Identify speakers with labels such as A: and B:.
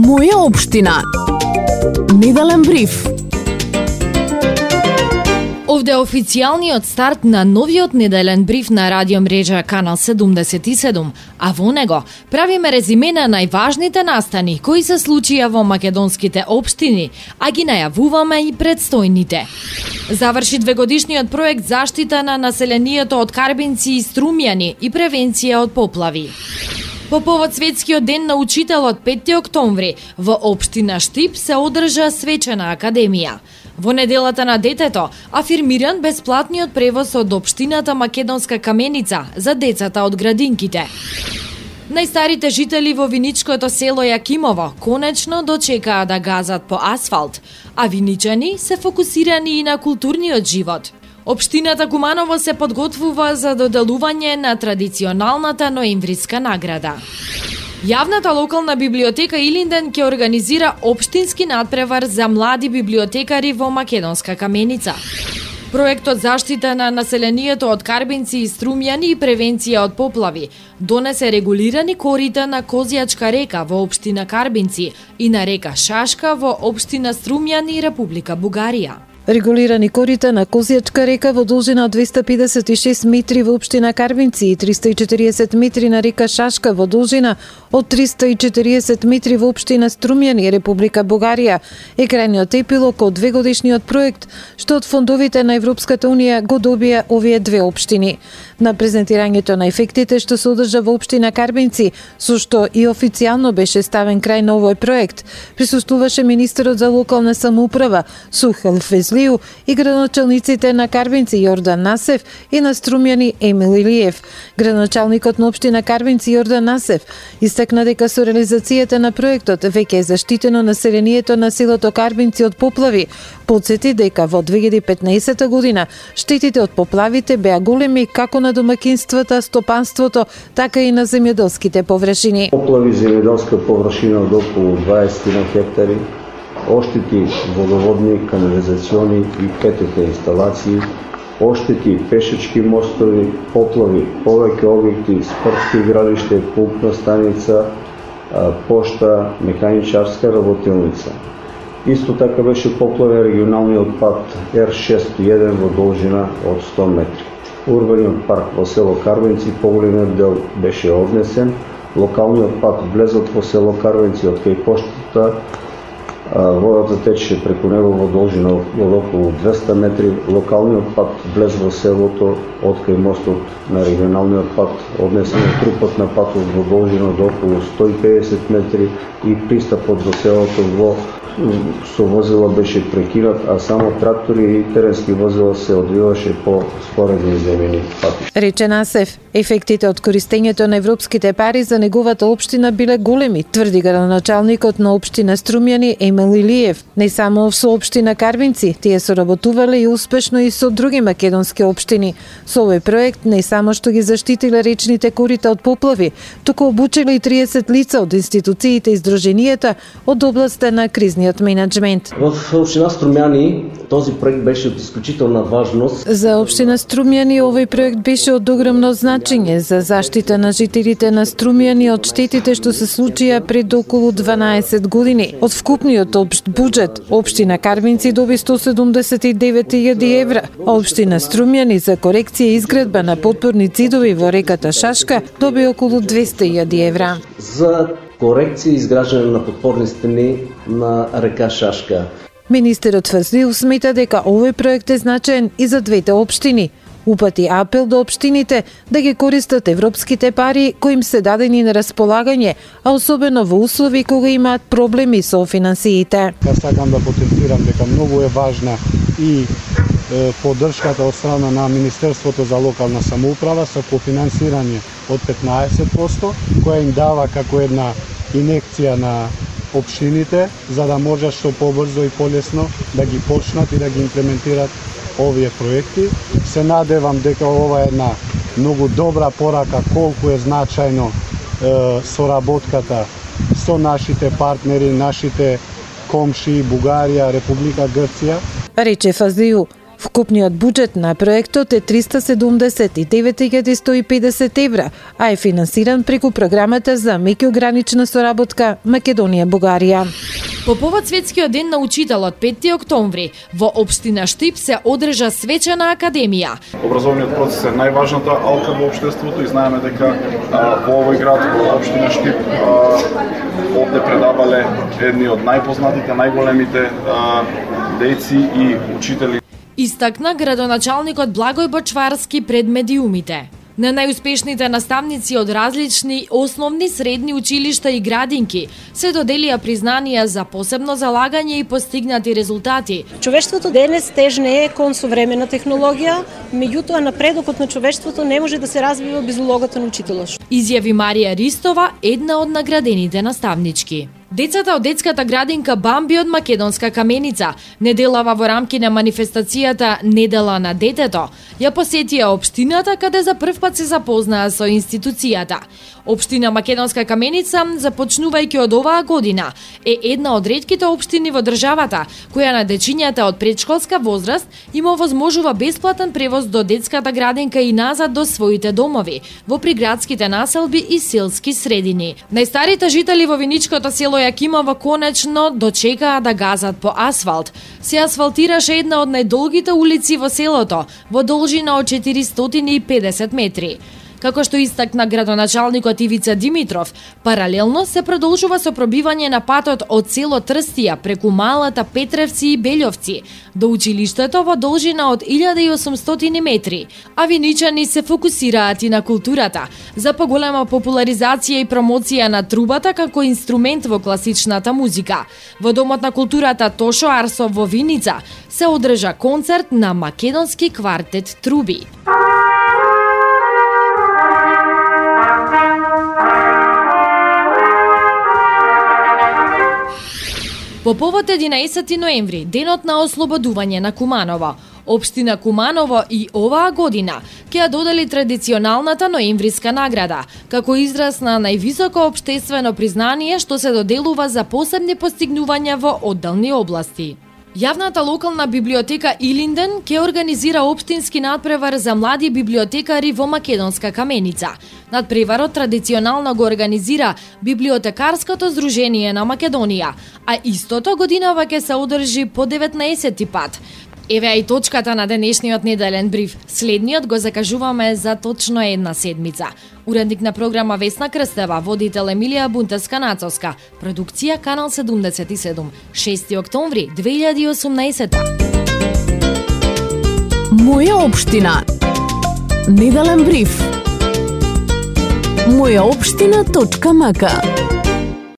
A: Моја општина. Неделен бриф. Овде е официјалниот старт на новиот неделен бриф на радио мрежа Канал 77, а во него правиме резиме на најважните настани кои се случија во македонските општини, а ги најавуваме и предстојните. Заврши двегодишниот проект заштита на населението од карбинци и струмјани и превенција од поплави. По повод Светскиот ден на учителот 5 октомври во општина Штип се одржа свечена академија. Во неделата на детето афирмиран бесплатниот превоз од општината Македонска Каменица за децата од градинките. Најстарите жители во виничкото село Јакимово конечно дочекаа да газат по асфалт, а виничани се фокусирани и на културниот живот. Општината Куманово се подготвува за доделување на традиционалната ноемвриска награда. Јавната локална библиотека Илинден ќе организира општински надпревар за млади библиотекари во Македонска Каменица. Проектот заштита на населението од карбинци и струмјани и превенција од поплави донесе регулирани корита на Козјачка река во општина Карбинци и на река Шашка во општина Струмјани, Република Бугарија.
B: Регулирани корита на Козјачка река во должина од 256 метри во општина Карбинци и 340 метри на река Шашка во должина од 340 метри во општина Струмјани, Република Бугарија е крајниот епилог од двегодишниот проект што од фондовите на Европската Унија го добија овие две општини. На презентирањето на ефектите што се одржа во општина Карбинци, со што и официјално беше ставен крај на овој проект, присуствуваше министерот за локална самоуправа Сухел Фезли и градоначалниците на Карбинци Јордан Насев и на Струмјани Емил Илиев. Градоначалникот на општина Карбинци Јордан Насев истакна дека со реализацијата на проектот веќе е заштитено населението на селото Карбинци од поплави. Подсети дека во 2015 година штетите од поплавите беа големи како на домаќинствата, стопанството, така и на земјоделските површини.
C: Поплави земјоделска површина од околу 20 хектари, оштети водоводни, канализациони и ПТТ инсталации, оштети пешачки мостови, поплави, повеќе објекти, спортски игралиште, пулпна станица, пошта, механичарска работилница. Исто така беше поплавен регионалниот пат Р601 во должина од 100 метри. Урбаниот парк во село Карбинци поголемиот дел беше однесен, локалниот пат влезот во село Карбинци од кај поштата, водата течеше преку него во должина од околу 200 метри, локалниот пат влез во селото од кај мостот на регионалниот пат, однесен е трупот на патот во должина од околу 150 метри и пристапот до селото со возила беше прекинат, а само трактори и теренски возила се одвиваше по споредни земјени пати.
B: Рече Насев, ефектите од користењето на европските пари за неговата општина биле големи, тврди градоначалникот на општина Струмјани Емил Илиев. Не само со општина Карбинци, тие соработувале и успешно и со други македонски општини. Со овој проект не само што ги заштитиле речните корита од поплави, туку обучиле и 30 лица од институциите и здруженијата од областта на кризниот менеджмент.
D: В општина Струмјани този проект беше од исклучителна важност.
B: За општина Струмјани овој проект беше од огромно значење за заштита на жителите на Струмјани од штетите што се случија пред околу 12 години. Од вкупниот општ буџет, општина Карбинци доби 179.000 евра, а општина Струмјани за корекција и изградба на подпорни ѕидови во реката Шашка доби околу 200.000 евра.
D: За корекција и изграждање на подпорни стени на река Шашка.
B: Министерот Фазлиев смета дека овој проект е значаен и за двете општини. Упати апел до општините да ги користат европските пари кои им се дадени на располагање, а особено во услови кога имаат проблеми со финансиите.
E: Сакам да потенцирам дека многу е важна и поддршката од страна на Министерството за локална самоуправа со кофинансирање од 15%, која им дава како една инекција на општините, за да можат што побрзо и полесно да ги почнат и да ги имплементират овие проекти. Се надевам дека ова е една многу добра порака колку е значајно соработката со нашите партнери, нашите комши, Бугарија, Република Грција.
B: Рече Фазлиев, Вкупниот буџет на проектот е 379.150 евра, а е финансиран преку програмата за меѓугранична соработка Македонија-Бугарија.
A: По повод Светскиот ден на учителот 5 октомври во општина Штип се одржа свечена академија.
F: Образовниот процес е најважната алка во општеството и знаеме дека во овој град, во општина Штип, овде предавале едни од најпознатите, најголемите дејци и учители.
A: Истакна градоначалникот Благој Бочварски пред медиумите. На најуспешните наставници од различни основни, средни училишта и градинки се доделија признанија за посебно залагање и постигнати резултати.
G: Човештвото денес тежне е кон современа технологија, меѓутоа напредокот на човештвото не може да се развива без улогата на учителот.
A: Изјави Марија Ристова, една од наградените наставнички. Децата од детската градинка Бамби од Македонска Каменица, неделава во рамки на манифестацијата Недела на детето, ја посетија општината каде за прв пат се запознаа со институцијата. Општина Македонска Каменица, започнувајќи од оваа година, е една од ретките општини во државата која на дечињата од предшколска возраст има овозможува бесплатен превоз до детската градинка и назад до своите домови, во приградските населби и селски средини. Најстарите жители во виничкото село Јакимово конечно дочекаа да газат по асфалт. Се асфалтираше една од најдолгите улици во селото, во должина од 450 метри. Како што истакна градоначалникот Ивица Димитров, паралелно се продолжува со пробивање на патот од село Трстија преку Малата, Петревци и Белјовци до училиштето во должина од 1800 метри, а виничани се фокусираат и на културата, за поголема популаризација и промоција на трубата како инструмент во класичната музика. Во Домот на културата Тошо Арсов во Виница се одржа концерт на македонски квартет труби. По повод 11 ноември, денот на ослободување на Куманово, општина Куманово и оваа година ќе ја додели традиционалната ноемвриска награда, како израз на највисоко општествено признание што се доделува за посебни постигнувања во одделни области. Јавната локална библиотека Илинден ќе организира општински надпревар за млади библиотекари во Македонска Каменица. Надпреварот традиционално го организира Библиотекарското здружение на Македонија, а истото годинава ќе се одржи по 19 пат. Еве и точката на денешниот неделен бриф. Следниот го закажуваме за точно една седмица. Уредник на програма Весна Крстева, водител Емилија Бунтеска-Нацовска, продукција Канал 77, 6 октомври 2018.
H: Моја општина. Неделен бриф. Мојаопштина.мк